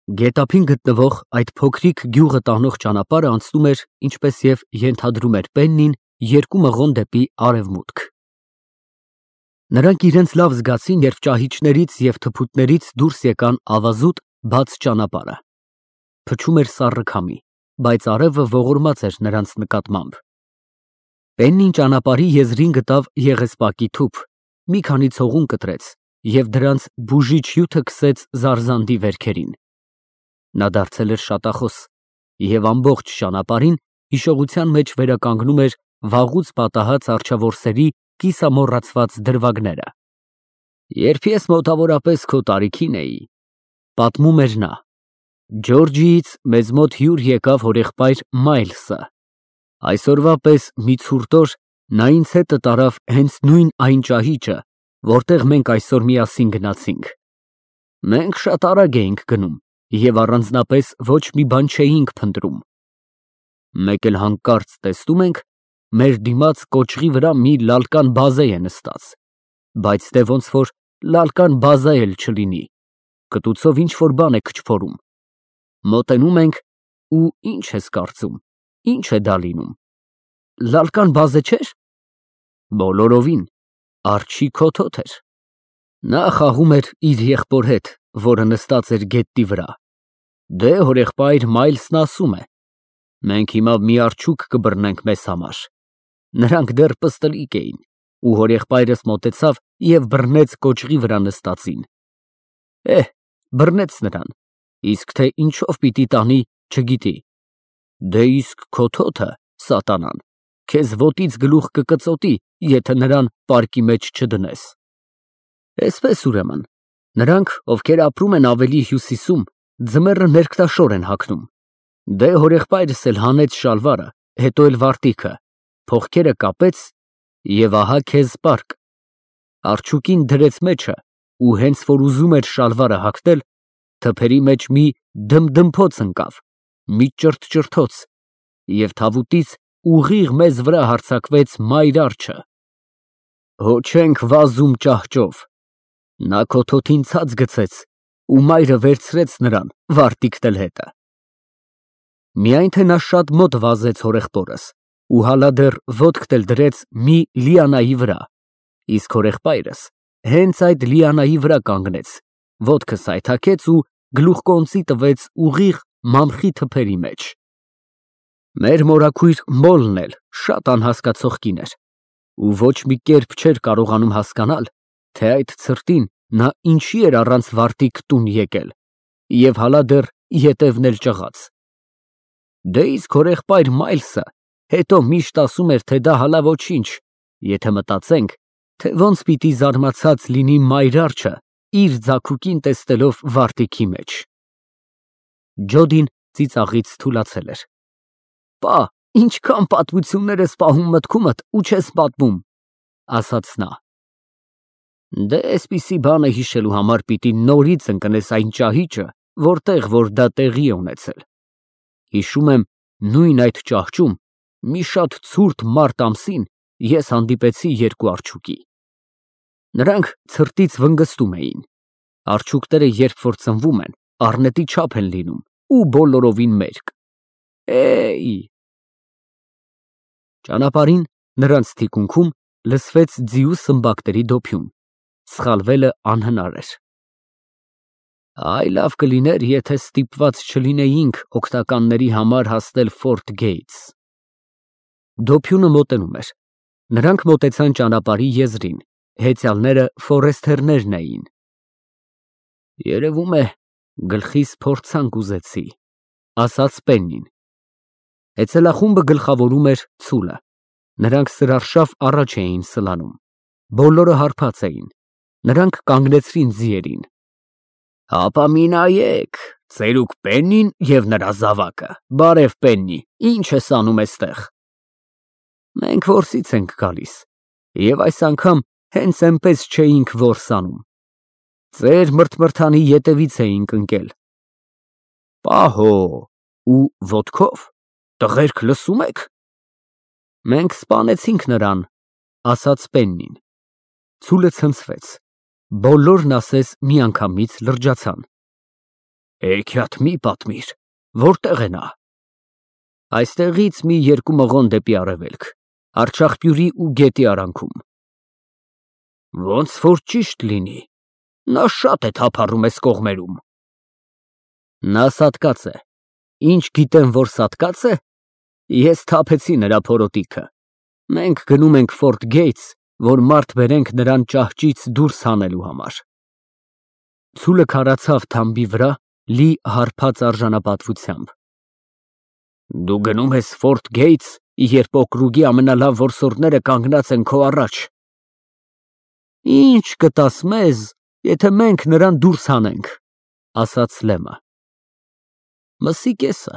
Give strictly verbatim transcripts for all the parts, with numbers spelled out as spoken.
Գետափին գտնվող այդ փոքրիկ գյուղը տանող ճանապարհը անցնում էր, ինչպես և ենթադրում էր Պեննին, երկու մղոն դեպի արևմուտք։ Նրանք իրենց լավ զգացին, երբ ճահիճներից և թփուտներից դուրս եկան ավազուտ, բաց ճանապարհը։ Փչում էր սառը քամի, բայց արևը ողորմած էր նրանց նկատմամբ։ Պեննին ճանապարհի եզրին գտավ եղեսպակի թուփ, մի քանի ցողուն կտրեց և դրանց բուժիչ հյութը քսեց զարզանդի վերքերին։ Նա դարձել էր շատախոս և ամբողջ ճանապարհին հիշողության մեջ վերականգնում էր վաղուց պատահած արչավորսերի կիսամոռացված դրվագները։ Երբ ես մոտավորապես քո տարիքին էի, պատմում էր նա, Ջորջիից մեզ մոտ հյուր եկավ հորեղբայր Մայլսը, այսօրվա պես մի ցուրտ օր նա ինձ հետը տարավ հենց նույն այն ճահիճը, որտեղ մենք այսօր միասին գնացինք։ Մենք շատ արագ էինք գնում և առանձնապես ոչ մի բան չէինք փնտրում։ Մեկ էլ հանկարծ տեսնում ենք, մեր դիմաց կոճղի վրա մի լալկան բազե է նստած, բայց դե ոնց որ լալկան բազա էլ չլինի, կտուցով ինչ֊որ բան է քչփորում։ Մոտենում ենք ու ի՞նչ ես կարծում, ի՞նչ է դա լինում։ Լալկան բազե չէ՞ր։ Բոլորովին, արջի քոթոթ էր։ Նա խաղում էր իր եղբոր հետ, որը նստած էր գետնի վրա։ Դե հորեղբայր Մայլսն ասում է. «Մենք հիմա մի արջուկ կբռնենք մեզ համար»։ Նրանք դեռ պստլիկ էին, ու հորեղբայրս մոտեցավ և բռնեց կոճղի վրա նստածին։ Էհ, բռնեց նրան, իսկ թե ինչով պիտի տանի, չգիտի։ Դե իսկ քոթոթը, սատանան, քեզ ոտից գլուխ կկծոտի, եթե նրան պարկի մեջ չդնես։ Էսպես ուրեմն, նրանք, ովքեր ապրում են ավելի հյուսիսում, ձմեռը ներքտաշոր են հագնում։ Դե հորեղբայրս էլ հանեց շալվարը, հետո էլ վարտիքը, փողկերը կապեց և ահա քեզ պարկ։ Արջուկին դրեց մեջը ու հենց որ ուզում էր շալվարը հագնել, թփերի մեջ մի դմդմփոց ընկավ, մի ճրթճրթոց, և թավուտից ուղիղ մեզ վրա հարձակվեց մայր արջը։ Հո չենք վազում ճահճով։ Նա քոթոթին ցած գցեց ու մայրը վերցրեց նրան, վարտիքն էլ հետը։ Միայն թե նա շատ մոտ վազեց հորեղբորս ու հալա դեռ ոտքն էլ դրեց մի լիանայի վրա, իսկ հորեղբայրս հենց այդ լիանայի վրա կանգնեց, ոտքը սայթաքեց ու գլուխկոնծի տվեց ուղիղ մամխի թփերի մեջ։ Մեր մորաքույր մոլն էլ շատ անհասկացող կին էր ու ոչ մի կերպ չէր կարողանում հասկանալ, թե այդ ցրտին նա ինչի էր առանց վարտիք տուն եկել և հալա դեռ ետևն էլ ճղած։ Դե իսկ հորեղբայր Մայլսը հետո միշտ ասում էր, թե դա հալա ոչինչ, եթե մտածենք, թե ոնց պիտի զարմացած լինի մայր արջը իր ձագուկին տեսնելով վարտիքի մեջ։ Ջոդին ծիծաղից թուլացել էր։ Պա, ինչքան պատմություններ ես պահում մտքումդ ու չես պատմում, ասաց նա։ Դե էսպիսի բանը հիշելու համար պիտի նորից ընկնես այն ճահիճը, որտեղ որ դա տեղի է ունեցել։ Հիշում եմ, նույն այդ ճահճում մի շատ ցուրտ մարտ ամսին ես հանդիպեցի երկու արջուկի։ Նրանք ցրտից վնգստում էին։ Արջուկները երբ որ ծնվում են, առնետի չափ են լինում ու բոլորովին մերկ։ Էյ։ Ճանապարհին նրանց թիկունքում լսվեց ձիու սմբակների դոփյուն, սխալվելը անհնար էր։ Այ լավ կլիներ, եթե ստիպված չլինեինք օգնականների համար հասնել Ֆորթ Գեյթս։ Դոփյունը մոտենում էր։ Նրանք մոտեցան ճանապարհի եզրին, հեծյալները ֆորեսթերներն էին։ Երևում է, գլխիս փորձանք ուզեցի, ասաց Պեննին։ Հեծելախումբը գլխավորում էր ցուլը։ Նրանք սրարշավ առաջ էին սլանում։ Բոլորը հարբած էին։ Նրանք կանգնեցրին ձիերին։ Հապա մի նայեք, ծերուկ Պեննին և նրա զավակը, բարև Պեննի, ինչ ես անում էստեղ։ Մենք որսից ենք գալիս և այս անգամ հենց էնպես չէինք որս անում։ Ձեր մրթմրթանի ետևից էինք ընկել։ Պահո, ու ոտքո՞վ, տղերք լսում եք։ Մենք սպանեցինք նրան, ասաց Պեննին։ Ցուլը ցնցվեց։ Բոլորն ասես միանգամից լրջացան։ Հեքիաթ մի պատմիր, որտեղ է նա։ Այստեղից մի երկու մղոն դեպի արևելք, Արցախպյուրի ու գետի արանքում։ Ոնց որ ճիշտ լինի, նա շատ է թափառում էս կողմերում։ Նա սատկած է։ Ինչ գիտեմ, որ սատկած է։ Ես թափեցի նրա փորոտիքը։ Մենք գնում ենք Ֆորթ Գեյթս, որ մարդ բերենք նրան ճահճից դուրս հանելու համար։ Ցուլը քարացավ թամբի վրա, լի հարբած արժանապատվությամբ։ Դու գնում ես Ֆորթ Գեյթս, երբ օկրուգի ամենալավ որսորդները կանգնած են քո առաջ։ Ինչ կտաս մեզ, եթե մենք նրան դուրս հանենք, ասաց Լեմը։ Մսի կեսը։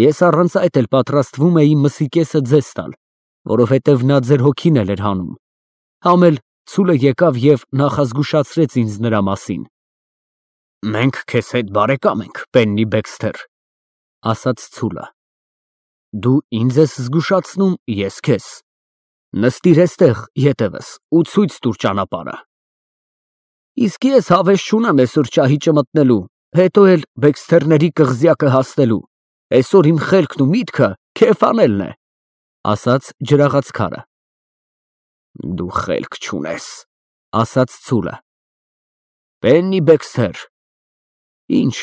Ես առանց այդ էլ պատրաստվում էի մսի կեսը ձեզ տալ, որովհետև նա ձեր հոգին էլ էր հանում։ Համ էլ ցուլը եկավ և նախազգուշացրեց ինձ նրա մասին։ Մենք քեզ հետ բարեկամ ենք, Պեննի Բեքսթեր, ասաց ցուլը։ Դու ինձ ես զգուշացնում, ես քեզ։ Նստիր էստեղ ետևս ու ցույց տուր ճանապարհը։ Իսկ ես հավես չունեմ այսօր ճահիճը մտնելու, հետո էլ Բեքսթերների կղզյակը հասնելու։ Այսօր իմ խելքն ու միտքը քեֆ անելն է, ասաց ջրաղաց քարը։ Դու խելք չունես, ասաց ցուլը։ Պեննի Բեքսթեր։ Ինչ։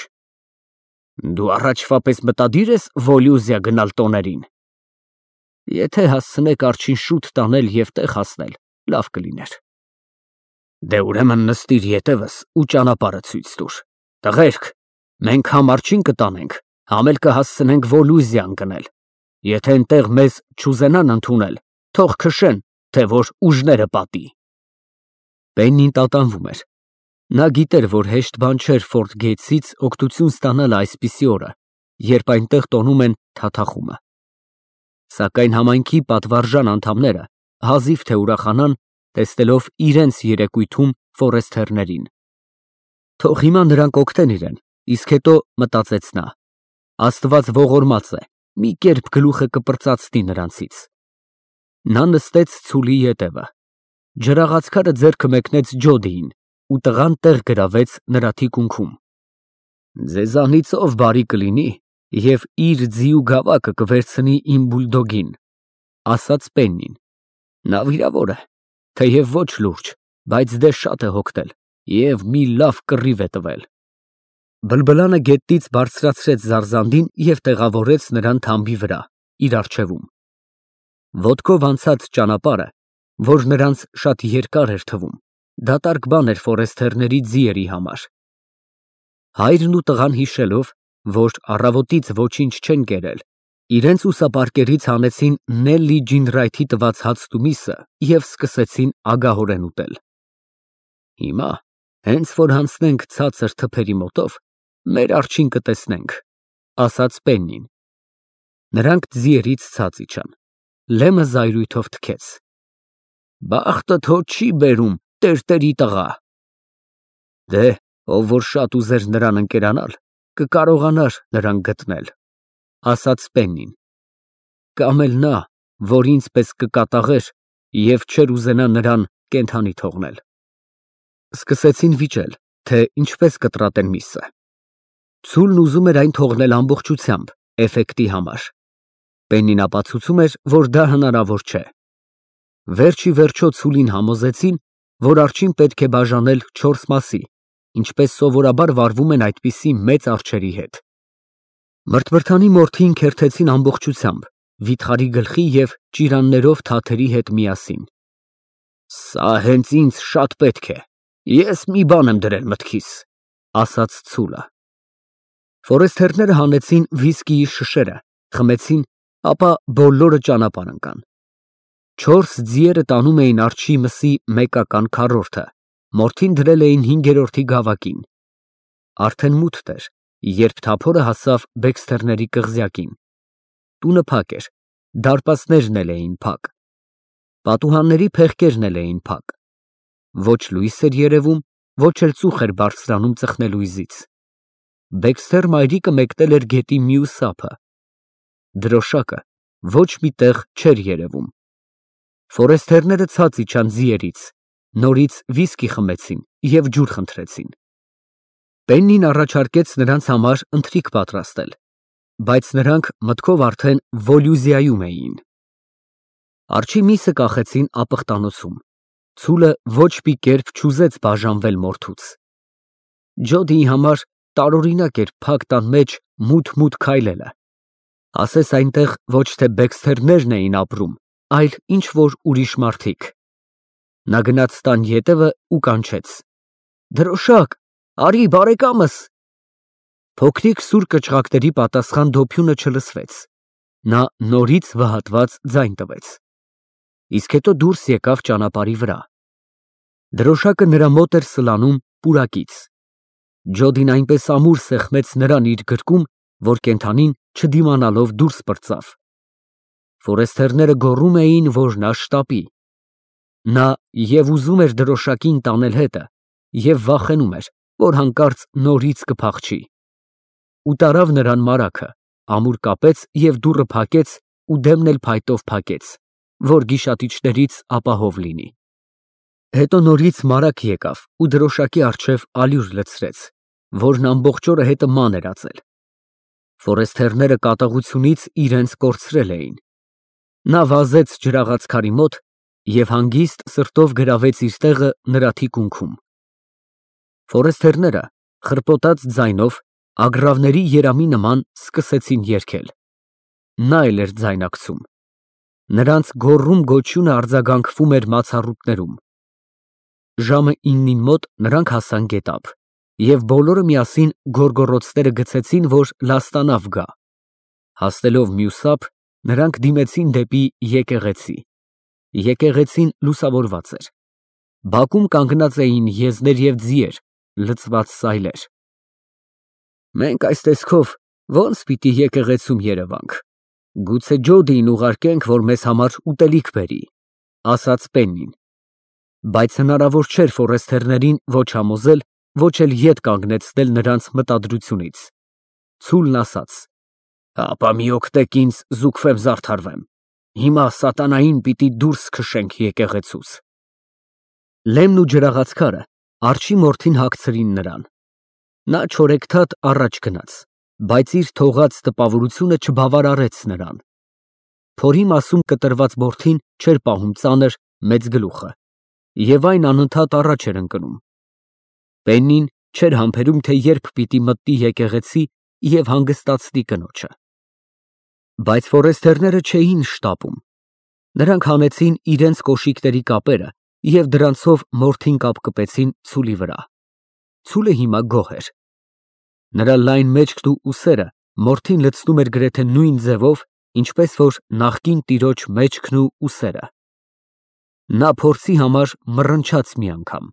Դու առաջվա պես մտադիր ես Վոլյուզիա գնալ տոներին։ Եթե հասցնեք արջին շուտ տանել և տեղ հասնել, լավ կլիներ։ Դե ուրեմն նստիր ետևս ու ճանապարհը ցույց տուր։ Տղերք, մենք համ արջին կտանենք, համ էլ կհասցնենք Վոլյուզիա ընկնել։ Եթե այնտեղ մեզ չուզենան ընդունել, թող քշեն, թե որ ուժները պատի։ Պեննին տատանվում էր։ Նա գիտեր, որ հեշտ բան չէր Ֆորթ Գեյթսից օգնություն ստանալը այսպիսի օրը, երբ այնտեղ տոնում են թաթախումը։ Սակայն համայնքի պատվարժան անդամները հազիվ թե ուրախանան, տեսնելով իրենց երեկույթում ֆորեսթերներին։ Թող հիմա նրանք օգնեն իրեն, իսկ հետո մտածեց նա. Աստված ողորմած է, մի կերպ գլուխը կպրծացնի նրանցից։ Նա նստեց ցուլի ետևը։ Ջրաղացքարը ձեռքը մեկնեց Ջոդիին ու տղան տեղ գրավեց նրա թիկունքում։ Ձեզանից ով բարի կլինի և իր ձի ու գավակը կվերցնի իմ բուլդոգին, ասաց Պեննին։ Նա վիրավոր է, թեև ոչ լուրջ, բայց դե շատ է հոգնել և մի լավ կռիվ է տվել։ Բլբլանը գետից բարձրացրեց Զարզանդին և տեղավորեց նրան թամբի վրա, իր առջևում։ Ոտքով անցած ճանապարհը, որ նրանց շատ երկար էր թվում, դատարկ բան էր ֆորեսթերների ձիերի համար։ Հայրն ու տղան հիշելով, որ առավոտից ոչինչ չեն կերել, իրենց ուսապարկերից հանեցին Նելլի Ջինրայթի տված հացն ու միսը և սկսեցին ագահորեն ուտել։ Հիմա, հենց որ հանցնենք ցածր թփերի մոտով, մեր արջին կտեսնենք, ասաց Պեննին։ Նրանք ձիերից ցած իջան։ Լեմը զայրույթով թքեց։ Բախտդ հո չի բերում, տերտերի տղա։ Դե, ով որ շատ ուզեր նրան ընկերանալ, կկարողանար նրան գտնել, ասաց Պեննին։ Կամ էլ նա, որ ինձ պես կկատաղեր և չէր ուզենա նրան կենդանի թողնել։ Սկսեցին վիճել, թե ինչպես կտրատեն միսը։ Ցուլն ուզում էր այն թողնել ամբողջությամբ, էֆեկտի համար։ Պեննին ապացուցում էր, որ դա հնարավոր չէ։ Վերջ ի վերջո ցուլին համոզեցին, որ արջին պետք է բաժանել չորս մասի, ինչպես սովորաբար վարվում են այդպիսի մեծ արջերի հետ։ Մրթմրթանի մորթին քերթեցին ամբողջությամբ, վիթխարի գլխի և ճիրաններով թաթերի հետ միասին։ Սա հենց ինձ շատ պետք է, ես մի բան եմ դրել մտքիս, ասաց ցուլը։ Ֆորեսթերները հանեցին վիսկիի շշերը, խմեցին, ապա բոլորը ճանապարհ ընկան։ Չորս ձիերը տանում էին արջի մսի մեկական քառորդը, մորթին դրել էին հինգերորդի գավակին։ Արդեն մութ էր, երբ թափորը հասավ Բեքսթերների կղզյակին։ Տունը փակ էր, դարպասներն էլ էին փակ։ Պատուհանների փեղկերն էլ էին փակ։ Ոչ լույս էր երևում, ոչ էլ ծուխ էր բարձրանում ծխնելույզից։ Բեքսթեր մայրիկը մեկնել էր գետի մյուս ափը։ Դրոշակը ոչ մի տեղ չէր երևում։ Ֆորեսթերները ցած իջան ձիերից, նորից վիսկի խմեցին և ջուր խնդրեցին։ Պեննին առաջարկեց նրանց համար ընթրիք պատրաստել, բայց նրանք մտքով արդեն Վոլյուզիայում էին։ Արջի միսը կախեցին ապխտանոցում։ Ցուլը ոչ մի կերպ չուզեց բաժանվել մորթուց։ Ջոդիի համար տարօրինակ էր փակ տան մեջ մութ-մութ քայլելը, ասես այնտեղ ոչ թե բեքսթերներն էին ապրում, այլ ինչ-որ ուրիշ մարդիկ։ Նա գնաց տան ետևը ու կանչեց. «Դրոշակ, արի բարեկամս»։ Փոքրիկ սուր կչղակների պատասխան դոփյունը չլսվեց։ Նա նորից վհատված ձայն տվեց, իսկ հետո դուրս եկավ ճանապարհի վրա։ Դրոշակը նրա մոտ էր սլանում պուրակից։ Ջոդին այնպես ամուր սեղմեց նրան իր գրկում, որ կենդանին չդիմանալով դուրս պրծավ։ Ֆորեստերները գոռում էին, որ նա շտապի։ Նա և ուզում էր դրոշակին տանել հետը, և վախենում էր, որ հանկարծ նորից կփախչի։ Ու տարավ նրան մարագը, ամուր կապեց և դուռը փակեց ու դեմն էլ փայտով փակեց, որ գիշատիչներից ապահով լինի։ Հետո նորից մարագ եկավ ու դրոշակի առջև ալյուր լցրեց, որն ամբողջ օրը հետը ման էր ածել։ Ֆորեստերները կատաղությունից իրենց կորցրել էին։ Նա վազեց ջրաղացքարի մոտ և հանգիստ սրտով գրավեց իր տեղը նրա թիկունքում։ Ֆորեստերները խռպոտած ձայնով ագռավների երամի նման սկսեցին երգել։ Նա էլ էր ձայնակցում։ Նրանց գոռում֊գոչյունը արձագանքվում էր մացառուտներում։ Ժամը իննին մոտ նրանք հասան գետափ, և բոլորը միասին գոռգոռոցները գցեցին, որ լաստանավ գա։ Հասնելով մյուս ափ, նրանք դիմեցին դեպի եկեղեցի։ Եկեղեցին լուսավորված էր։ Բակում կանգնած էին եզներ և ձիեր, լցված սայլեր։ «Մենք այս տեսքով ո՞նց պիտի եկեղեցում երևանք, գուցե Ջոդիին ուղարկենք, որ մեզ համար ուտելիք բերի», ֊ ասաց Պեննին։ Բայց հնարավոր չէր ֆորեստերներին ոչ համոզել, ոչ էլ ետ կանգնեցնել նրանց մտադրությունից։ Ցուլն ասաց. «Հապա մի օգնեք ինձ, զուգվեմ զարդարվեմ, հիմա սատանային պիտի դուրս քշենք եկեղեցուց»։ Լեմն ու ջրաղացքարը արջի մորթին հագցրին նրան։ Նա չորեքթաթ առաջ գնաց, բայց իր թողած տպավորությունը չբավարարեց նրան։ Փորի մասում կտրված բորթին չէր պահում ծանր, մեծ գլուխը, և այն անընդհատ առաջ էր ընկնում։ Պեննին չէր համբերում, թե երբ պիտի մտնի եկեղեցի և հանգստացնի կնոջը։ Բայց ֆորեստերները չէին շտապում։ Նրանք հանեցին իրենց կոշիկների կապերը և դրանցով մորթին կապկպեցին ցուլի վրա։ Ցուլը հիմա գոհ էր։ Նրա լայն մեջքն ու ուսերը մորթին լցնում էր գրեթե նույն ձևով, ինչպես որ նախկին տիրոջ մեջքն ու ուսերը։ Նա փորձի համար մռնչաց մի անգամ։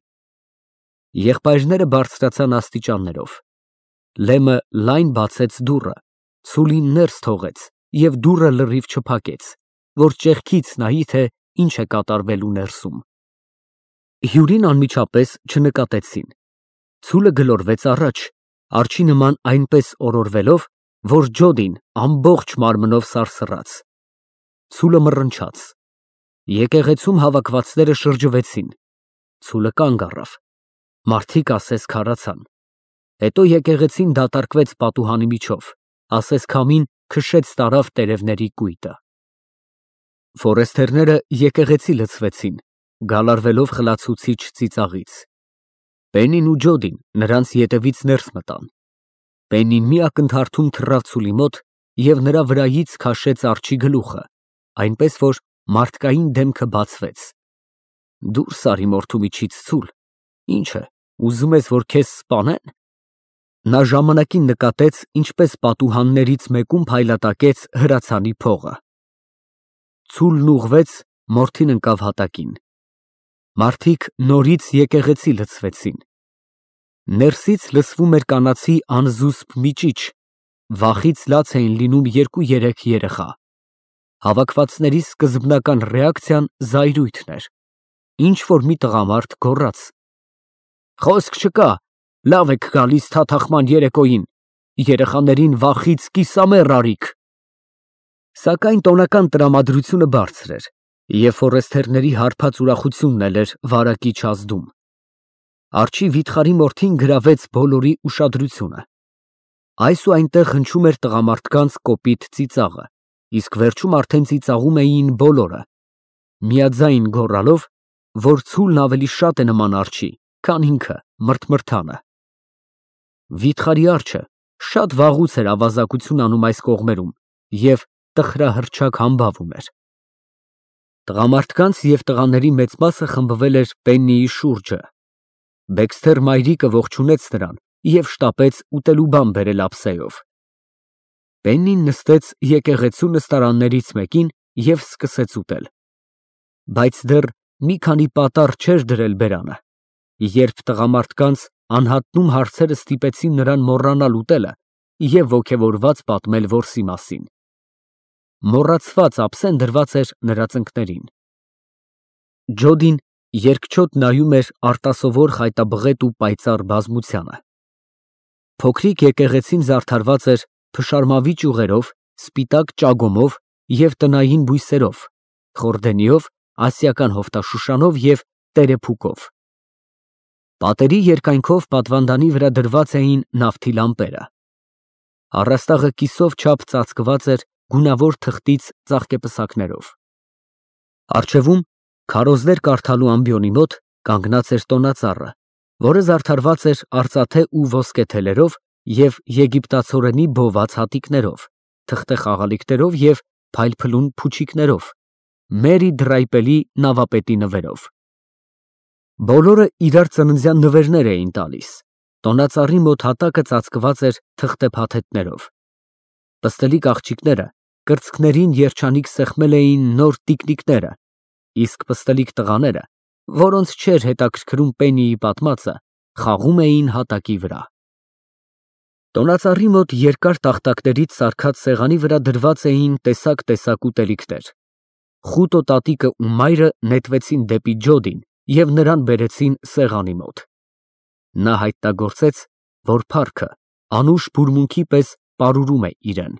Եղբայրները բարձրացան աստիճաններով։ Լեմը լայն բացեց դուռը, ցուլին ներս թողեց և դուռը լրիվ չփակեց, որ ճեղքից նայի, թե ինչ է կատարվելու ներսում։ Հյուրին անմիջապես չնկատեցին։ Ցուլը գլորվեց առաջ, արջի նման այնպես օրորվելով, որ Ջոդին ամբողջ մարմնով սարսռաց։ Ցուլը մռնչաց։ Եկեղեցում հավաքվածները շրջվեցին։ Ցուլը կանգ առավ։ Մարդիկ ասես քարացան։ Հետո եկեղեցին դատարկվեց պատուհանի միջով, ասես քամին քշեց տարավ տերևների կույտը։ Ֆորեստերները եկեղեցի լցվեցին, գալարվելով խլացուցիչ ծիծաղից։ Պեննին ու Ջոդին նրանց ետևից ներս մտան։ Պեննին մի ակնթարթում թռավ ցուլի մոտ և նրա վրայից քաշեց արջի գլուխը, այնպես որ մարդկային դեմքը բացվեց։ Դուրս արի մորթու միջից, ցուլ, ինչ է, ուզում ես, որ քեզ սպանե՞ն։ Նա ժամանակին նկատեց, ինչպես պատուհաններից մեկում փայլատակեց հրացանի փողը։ Ցուլն ուղղվեց, մորթին ընկավ հատակին։ Մարդիկ նորից եկեղեցի լցվեցին։ Ներսից լսվում էր կանացի անզուսպ միջիչ, վախից լաց էին լինում երկու֊երեք երեխա։ Հավաքվածների սկզբնական ռեակցիան զայրույթն էր։ Ինչ֊որ մի տղամարդ գոռաց. «Խոսք չկա, լավ եք գալիս թաթախման երեկոյին, երեխաներին վախից կիսամեռ արիք»։ Սակայն տոնական տրամադրությունը բարձր էր, և ֆորեստերների հարբած ուրախությունն էլ էր վարակիչ ազդում։ Արջի վիթխարի մորթին գրավեց բոլորի ուշադրությունը։ Այս ու այնտեղ հնչում էր տղամարդկանց կոպիտ ծիծաղը, իսկ վերջում արդեն ծիծաղում էին բոլորը, միաձայն գոռալով, որ ցուլն ավելի շատ է նման արջի, քան ինքը մրթմրթանը։ Վիթխարի արջը շատ վաղուց էր ավազակություն անում այս կողմերում և տխրահռչակ համբավ ուներ։ Տղամարդկանց և տղաների մեծ մասը խմբվել էր Պեննիի շուրջը։ Բեքսթեր մայրիկը ողջունեց նրան և շտապեց ուտելու բան բերել ափսեով։ Պեննին նստեց եկեղեցու նստարաններից մեկին և սկսեց ուտել։ Բայց դեռ մի քանի պատառ չէր դրել բերանը, երբ տղամարդկանց անհատնում հարցերը ստիպեցին նրան մոռանալ ուտելը և ոգևորված պատմել որսի մասին։ Մոռացված ափսեն դրված էր նրա ծնկներին։ Ջոդին երկչոտ նայում էր արտասովոր խայտաբղետ ու պայծառ բազմությանը։ Փոքրիկ եկեղեցին զարդարված էր փշարմավի ճյուղերով, սպիտակ ճագոմով և տնային բույսերով, խորդենիով, ասիական հովտաշուշանով և տերեփուկով։ Պատերի երկայնքով պատվանդանի վրա դրված էին նավթի լամպերը։ Առաստաղը կիսով չափ ծածկված էր գունավոր թղթից ծաղկեպսակներով։ Առջևում, քարոզներ կարդալու ամբիոնի մոտ, կանգնած էր տոնածառը, որը զարդարված էր արծաթե ու ոսկե թելերով և եգիպտացորենի բոված հատիկներով, թղթե խաղալիքներով և փայլփլուն փուչիկներով, Մերի Դրայպելի նավապետի նվերով։ Բոլորը իրար ծննդյան նվերներ էին տալիս, տոնածառի մոտ հատակը ծածկված էր թղթե փաթեթներով։ Պստլիկ աղջիկները կրծքներին երջանիկ սեղմել էին նոր տիկնիկները, իսկ պստլիկ տղաները, որոնց չէր հետաքրքրում Պեննիի պատմածը, խաղում էին հատակի վրա։ Տոնածառի մոտ երկար տախտակներից սարքած սեղանի վրա դրված էին տեսակ֊տեսակ ուտելիքներ։ Խուտո տատիկը ու մայրը նետվեցին դեպի Ջոդին և նրան բերեցին սեղանի մոտ։ Նա հայտնագործեց, որ փառքը անուշ բուրմունքի պես պարուրում է իրեն։